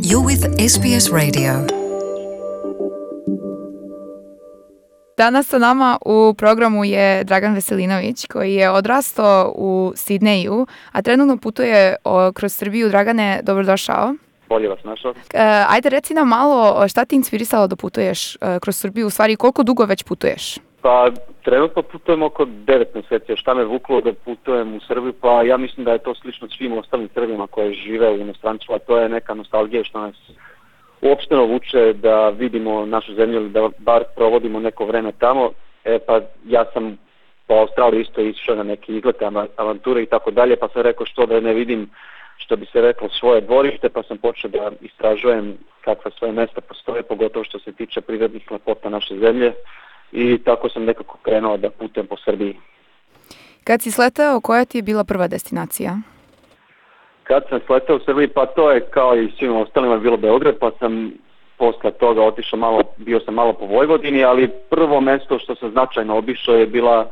You're with SBS Radio. Danas sa nama u programu je Dragan Veselinović, koji je odrastao u Sidneju, a trenutno putuje kroz Srbiju. Dragane, dobrodošao. Bolje vas našao. Ajde, reci nam malo šta ti inspirisalo da putuješ kroz Srbiju, u stvari koliko dugo već putuješ? Pa trenutno putujem oko 9 mjeseci. Šta me vuklo da putujem u Srbiju? Pa ja mislim da je to slično svim ostalim Srbima koji žive u inostranstvu, a to je neka nostalgija što nas uopšteno vuče da vidimo našu zemlju ili da bar provodimo neko vreme tamo. Pa ja sam po Australiji isto išao na neke izlete, avanture i tako dalje, pa sam rekao što da ne vidim, što bi se reklo, svoje dvorište, pa sam počeo da istražujem kakva svoje mesta postoje, pogotovo što se tiče prirodnih lepota naše zemlje, i tako sam nekako krenuo da putujem po Srbiji. Kad si sletao, koja ti je bila prva destinacija? Kad sam sletao u Srbiji, pa to je kao i svima ostalima bilo Beograd, pa sam posle toga otišao bio sam malo po Vojvodini, ali prvo mesto što sam značajno obišao je bila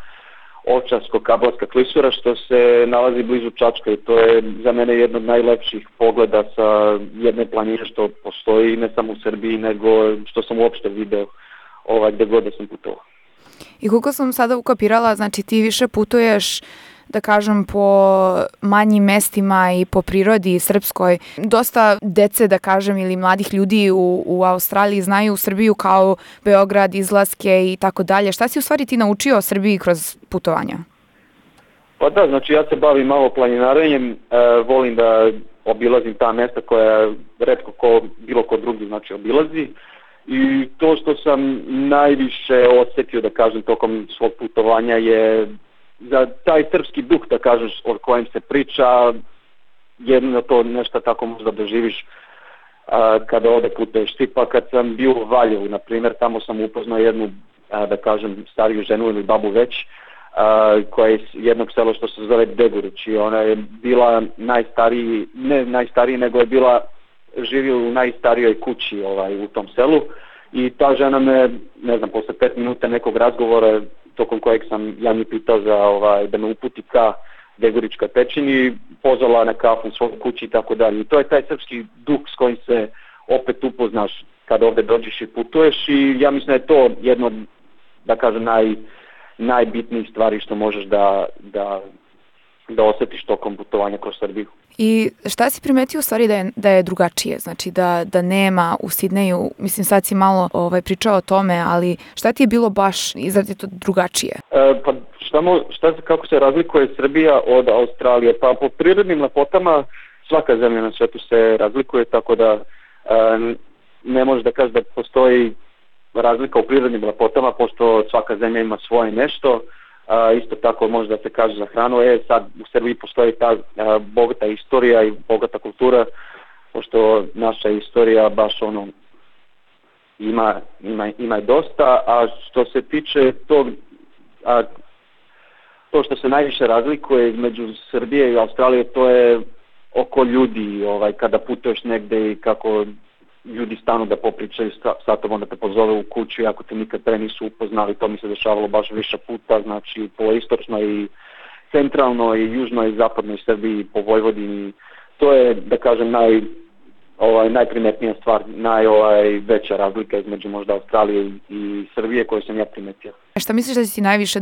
Ovčarsko-Kablarska klisura, što se nalazi blizu Čačka, i to je za mene jedno od najlepših pogleda sa jedne planine što postoji ne samo u Srbiji, nego što sam uopšte video gde god da sam putovao. I koliko sam sada ukapirala, znači ti više putuješ, da kažem, po manjim mestima i po prirodi srpskoj. Dosta dece, da kažem, ili mladih ljudi u Australiji znaju Srbiju kao Beograd, izlaske i tako dalje. Šta si u stvari ti naučio o Srbiji kroz putovanja? Pa da, znači ja se bavim malo planinarenjem, volim da obilazim ta mesta koja retko bilo ko drugi znači obilazi. I to što sam najviše osjetio, da kažem, tokom svog putovanja je za taj srpski duh, da kažeš, o kojem se priča, jedno to nešto tako možda doživiš kada ovde putuješ. Tipa kad sam bio u Valjevu, na primjer, tamo sam upoznao jednu, da kažem, stariju ženu ili babu već, koja je iz jednog sela što se zove Degurić, i ona je bila ne najstariji, nego je bila živio u najstarijoj kući u tom selu, i ta žena me, ne znam, posle 5 minuta nekog razgovora tokom kojeg sam ja mi pitao da me uputi ka Deguričkoj pećini, pozvala na kafu u svojoj kući i tako dalje. I to je taj srpski duh s kojim se opet upoznaš kada ovde dođeš i putuješ, i ja mislim da je to jedno, da kažem, najbitnijih stvari što možeš da osjetiš tokom putovanja kroz Srbiju. I šta si primetio u stvari da je drugačije, znači da nema u Sidneju, mislim sad si malo pričao o tome, ali šta ti je bilo baš izrazito drugačije? Pa kako se razlikuje Srbija od Australije? Pa po prirodnim lepotama svaka zemlja na svetu se razlikuje, tako da ne možeš da kažeš da postoji razlika u prirodnim lepotama, pošto svaka zemlja ima svoje nešto. Isto tako može da se kaže za hranu. Sad u Srbiji postoji ta bogata istorija i bogata kultura, pošto naša istorija baš ima dosta, a što se tiče to što se najviše razlikuje između Srbije i Australije, to je oko ljudi, kada putuješ negde i kako ljudi stanu da popričaju sa tobom, da te pozove u kuću, iako te nikad pre nisu upoznali. To mi se dešavalo baš više puta, znači po istočnoj i centralnoj i južnoj i zapadnoj Srbiji, po Vojvodini. To je, da kažem, najprimetnija stvar, najveća razlika između možda Australije i Srbije koju sam ja primetio. Šta misliš da će ti najviše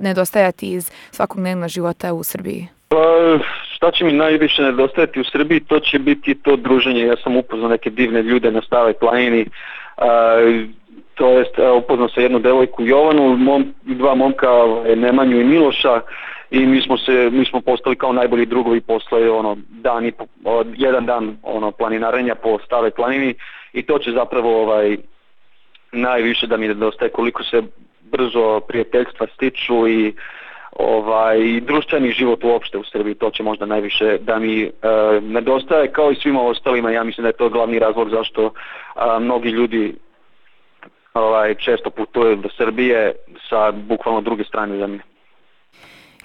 nedostajati iz svakodnevnog života u Srbiji? Šta će mi najviše nedostajati u Srbiji, to će biti to druženje. Ja sam upoznao neke divne ljude na Staroj planini, to jest upoznao sam jednu devojku Jovanu i dva momka, Nemanju i Miloša, i mi smo postali kao najbolji drugovi posle jedan dan planinarenja po Staroj planini, i to će zapravo najviše da mi nedostaje, koliko se brzo prijateljstva stiču i društveni život uopšte u Srbiji. To će možda najviše da mi nedostaje, kao i svima ostalima. Ja mislim da je to glavni razlog zašto mnogi ljudi često putuju do Srbije sa bukvalno druge strane zemlje.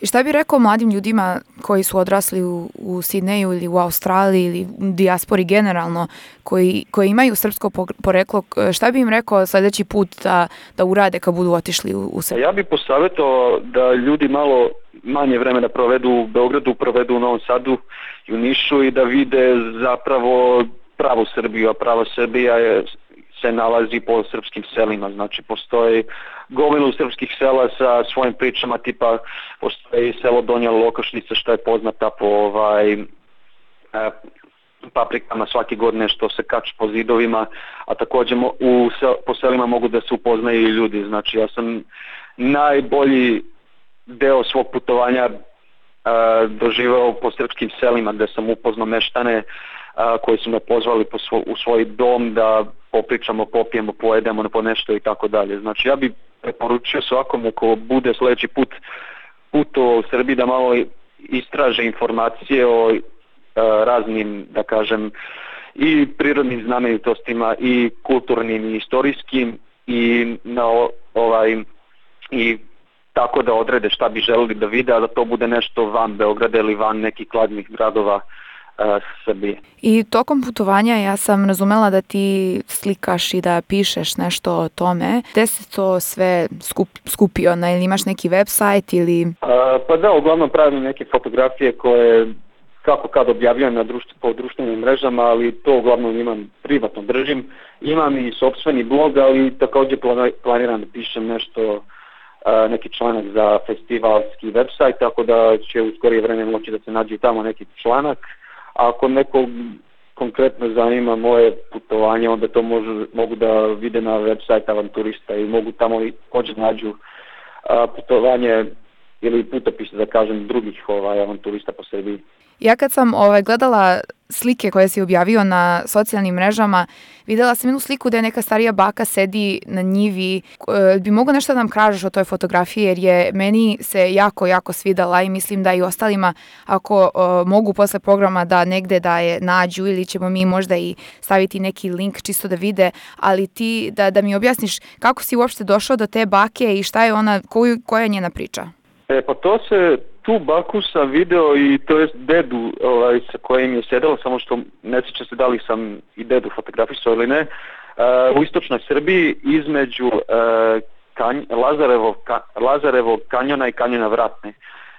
I šta bi rekao mladim ljudima koji su odrasli u Sidneju ili u Australiji ili u dijaspori generalno, koji imaju srpsko poreklo, šta bi im rekao sljedeći put da urade kad budu otišli u Srbiju? Ja bih posavjetovao da ljudi malo manje vremena provedu u Beogradu, provedu u Novom Sadu i u Nišu, i da vide zapravo pravu Srbiju, a prava Srbija se nalazi po srpskim selima, znači postoji gomilu srpskih sela sa svojim pričama, tipa postoji selo Donja Lokašnica što je poznata po paprikama svake godine što se kače po zidovima, a također po selima mogu da se upoznaju i ljudi. Znači ja sam najbolji deo svog putovanja doživao po srpskim selima gde sam upoznao meštane koji su me pozvali u svoj dom da popričamo, popijemo, pojedemo po nešto i tako dalje. Znači ja bih preporučio svakome ko bude sljedeći put putovao u Srbiji da malo istraže informacije o raznim, da kažem, i prirodnim znamenitostima i kulturnim i istorijskim i i tako da odrede šta bi želeli da vide, a da to bude nešto van Beograda ili van nekih glavnih gradova Srbije. I tokom putovanja ja sam razumela da ti slikaš i da pišeš nešto o tome. Gde se to sve skupio? Ili imaš neki website ili... Pa da, uglavnom pravim neke fotografije koje kako kad objavljujem po društvenim mrežama, ali to uglavnom imam privatno držim. Imam i sopstveni blog, ali također planiram da pišem nešto, neki članak za festivalski website, tako da će u skorije vreme moći da se nađe tamo neki članak. A ako nekog konkretno zanima moje putovanje, onda to mogu da vide na website Avanturista i mogu tamo također nađu putovanje ili putopise, da kažem, drugih avanturista po Srbiji. Ja kad sam gledala slike koje si objavio na socijalnim mrežama, videla sam jednu sliku gde neka starija baka sedi na njivi. Bi mogo nešto da nam kažeš o toj fotografiji, jer je meni se jako, jako svidala i mislim da i ostalima, ako mogu posle programa da negde da je nađu ili ćemo mi možda i staviti neki link čisto da vide, ali ti da mi objasniš kako si uopšte došao do te bake i šta je ona, koja je njena priča? Pa tu baku sam video i to je dedu sa kojim je sedelo, samo što ne sjećam se da li sam i dedu fotografisao ili ne, u istočnoj Srbiji između Lazarevog kanjona i kanjona Vratne.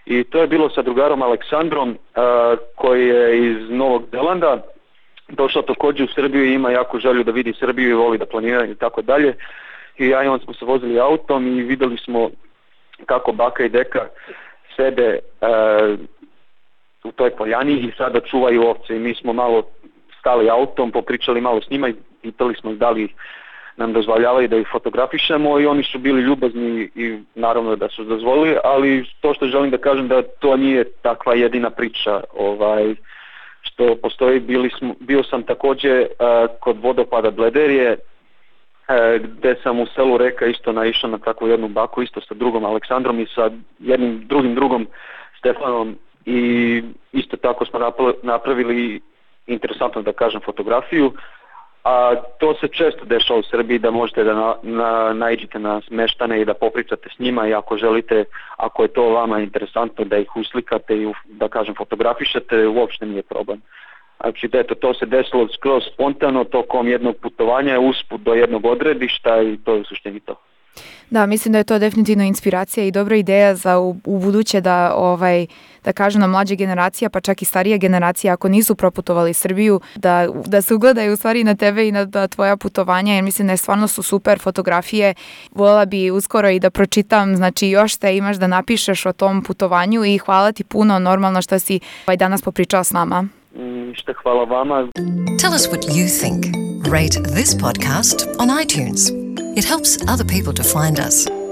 I to je bilo sa drugarom Aleksandrom koji je iz Novog Zelanda, došao također u Srbiju i ima jako želju da vidi Srbiju i voli da planira i tako dalje. I ja i on smo se vozili autom i vidjeli smo kako baka i deka sede u toj poljani i sada čuvaju ovce i mi smo malo stali autom, popričali malo s njima i pitali smo da li nam dozvoljavaju da ih fotografišemo i oni su bili ljubazni i naravno da su dozvolili, ali to što želim da kažem da to nije takva jedina priča što postoji. Bio sam također kod vodopada Blederije gde sam u selu Reka isto naišao na takvu jednu baku, isto sa drugom Aleksandrom i sa jednim drugom Stefanom i isto tako smo napravili interesantno, da kažem, fotografiju. A to se često dešava u Srbiji da možete da naiđete na meštane i da popričate s njima i ako želite, ako je to vama interesantno da ih uslikate i da kažem fotografišete, uopšte nije problem. Znači, to se desilo skroz spontano tokom jednog putovanja, usput do jednog odredišta i to je u suštini to. Da, mislim da je to definitivno inspiracija i dobra ideja za u buduće da kažem na mlađe generacija, pa čak i starije generacije, ako nisu proputovali Srbiju, da se ugledaju u stvari na tebe i na tvoja putovanja, jer mislim da stvarno su super fotografije. Voljela bi uskoro i da pročitam, znači još šta imaš da napišeš o tom putovanju i hvala ti puno, normalno što si danas popričala s nama. Hvala vama. Tell us what you think. Rate this podcast on iTunes. It helps other people to find us.